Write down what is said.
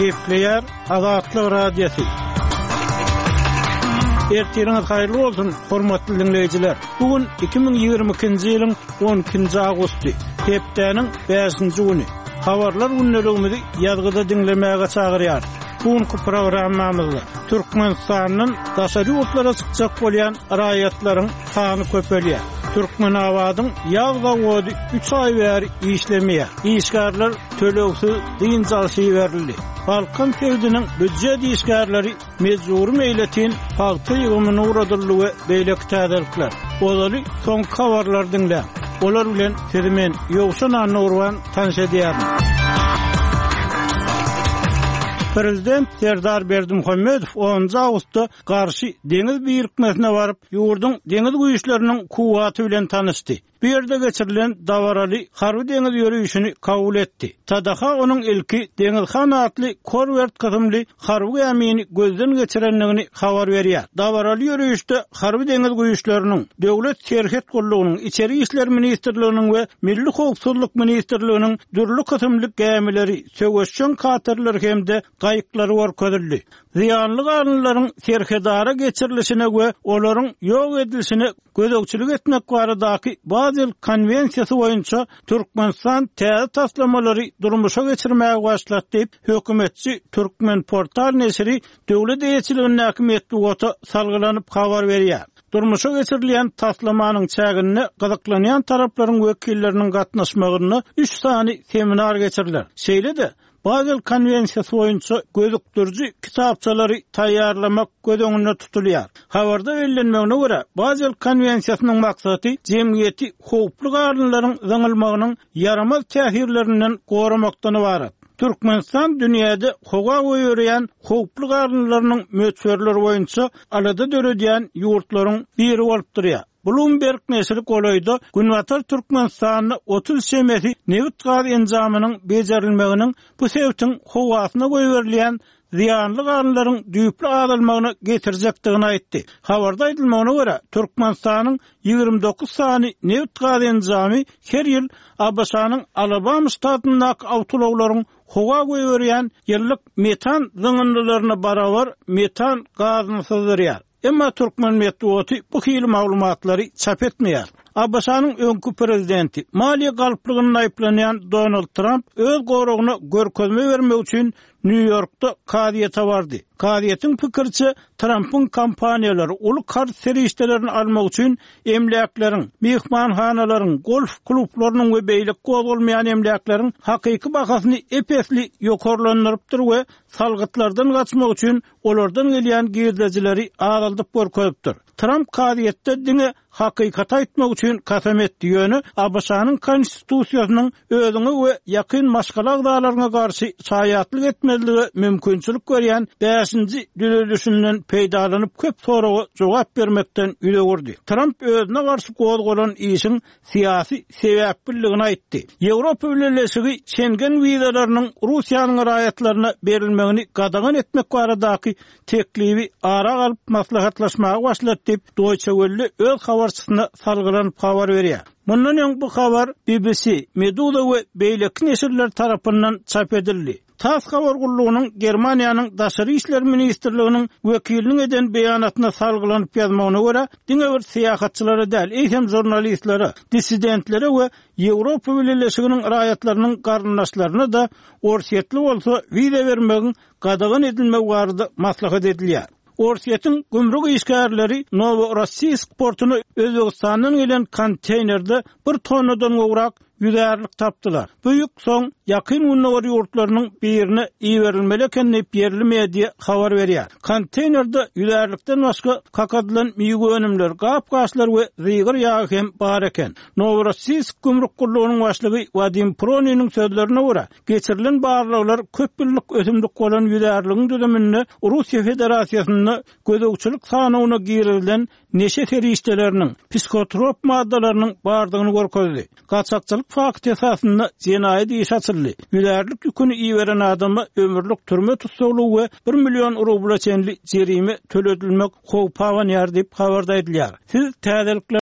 Gepleýär Azatlyk Radiosy. Ertiriňiz haýyrly bolsun, hormatly diňleýjiler. Bu gün 2022-nji ýylyň 12-nji awgusty, hepdäniň bäşinji güni. Habarlar gündeligimizi ýazgyda diňlemäge çagyrýarys. Bu günki programmamyzda Türkmenistandan daşary ýurtlara çykjak bolýan raýatlaryň sany köpelýär. Türkmenabadyň ýag zawody üç aý bäri işlemeýär. Işgärler tölegsiz dynç alşa iberildi. Balkan sebitiniň býujet işgärleri mejbury meýletin pagta ýygymyna ugradyldy we beýleki täzelikler. Ozaly soňky habarlary diňläň. Olar bilen sizi men, Ýowşan Annagurban tanyş edýärin. Prezident Serdar Berdimuhamedow onunjy awgustda Garşy deňiz birikmesine baryp, ýurduň deňiz güýçleriniň kuwwaty bilen tanyşdy. Bu ýerde geçirilen dabaraly harby-deňiz ýörişini kabul etdi. TDH onuň ilki Deňizhan atly korwert kysymly harby gämini gözden geçirendigini habar berýär. Dabaraly ýörişde Harby-deňiz güýçleriniň, Döwlet serhet gullugynyň, Içeri işler ministrliginiň we Milli howpsuzlyk ministrliginiň dürli kysymly gämileri, söweşjeň katerleri hem-de gaýyklary görkezildi. Zyýanly galyndylaryň serhedara geçirilişine we olaryň ýok edilişine gözegçilik etmek baradaky Bazel konwensiýasy boýunça Türkmenistan täze taslamalary durmuşa geçirmäge başlady diýip, hökümetçi Türkmenportal neşiri döwlet eýeçiligindäki metbugata salgylanyp habar berýär. Durmuşa geçirilýän taslamanyň çäginde gyzyklanýan taraplaryň wekilleriniň gatnaşmagynda üç sany seminar geçiriler. Şeýle-de, Bazel konwensiýasy boýunça gözükdiriji kitapçalary taýýarlamak göz öňünde tutulýar. Habarda bellenmegine görä, Bazel konwensiýasynyň maksady jemgyýeti howply galyndylaryň zyňylmagynyň ýaramaz täsirlerinden goramakdan ybarat. Türkmenistan dünýäde howa goýberýän howply galyndylarynyň möçberleri boýunça alada döredýän ýurtlaryň biri bolup durýar. Bloomberg neşiri golaýda Günbatar Türkmenistanda 30 çemesi nebit-gaz enjamynyň bejerilmeginiň bu sebitiň howasyna goýberilýän zyýanly galyndylaryň düýpli azalmagyna getirjekdigini aýtdy. Habarda aýdylmagyna görä, Türkmenistanyň 29 sany nebit-gaz enjamy her ýyl ABŞ-nyň Alabama ştatyndaky awtoulaglaryň howa goýberýän ýyllyk metan zyňyndylaryna barabar metan gazyny syzdyrýar. Emma türkmen metbugaty bu hili maglumatlary çap etmeýär. ABŞ-nyň öňki prezidenti, maliýe galplygynda aýyplanýan Donald Tramp öz goragyna görkezme bermek üçin Nýu-Ýorkda kazyýete bardy. Kazyýetiň pikiriçe, Trampyň kompaniýalary uly karz serişdelerini almak üçin emläkleriň, myhmanhanalaryň, golf klublarynyň we beýleki gozgalmaýan emläkleriň hakyky bahasyny ep-esli ýokarlandyrypdyr we salgytlardan gaçmak üçin olardan gelýän girdejileri azaldyp görkezipdir. Tramp kazyýetde diňe hakykaty aýtmak üçin kasam etdi, ýöne ABŞ-nyň Konstitusiýasynyň özüňe we ýakyn maşgala agzalaryňa garşy şaýatlyk etmezlige mümkinçilik berýän bäşinji düzedişinden peýdalanyp köp soraga jogap bermekden ýüz öwürdi. Tramp özüne garşy gozgalan işiň syýasy sebäpliligini aýtdy. Ýewropa Bileleşigi Şengen wizalarynyň Russiýanyň raýatlaryna berilmegini gadagan etmek baradaky teklibi ara alyp maslahatlaşmaga başlady diýip, Deutsche Welle öz habarçysyna salgylanyp habar berýär. Mundan öň bu habar BBC, Meduza we beýleki neşirler tarapyndan çap edildi. Tass habar gullugynyň Germaniýanyň Daşary işler ministrliginiň wekiliniň eden beýanatyna salgylanyp ýazmagyna görä, diňe bir syýahatçylara däl, eýsem žurnalistlere, dissidentlere we Ýewropa Bileleşiginiň raýatlarynyň garyndaşlaryna-da orsýetli bolsa wiza bermegiň gadagan edilmegi barada maslahat edilýär. Orsýetiň gümrük işgärleri Noworossiýsk portuna Özbegistandan gelen konteýnerde bir tonnadan gowrak ýüzärlik tapdylar. Bu ýük soň Ýakyn Gündogar ýurtlarynyň birine iberilmeli eken diýip, ýerli media habar berýär. Konteýnerde ýüzärlikden başga kakadylan miwe önümleri, gap-gaçlar we zygyr ýagy hem bar eken. Noworossiýsk gümrük gullugynyň başlygy Wadim Proniniň sözlerine görä, geçirilen barlaglar köp ýyllyk ösümlik bolan ýüzärligiň düzüminde Russiýa Federasiýasynda gözegçilik sanawyna girizilen neşe serişdeleriniň, psihotrop maddalarynyň bardygyny görkezdi. Gaçakçylyk fakty esasynda jenaýat işi açyldy. Ýüzärlik ýüküni iberen adama ömürlik türme tussaglygy we bir million rubla çenli jerime töledilmek howpy abanýar diýip, habarda aýdylýar. Siz täzelikler.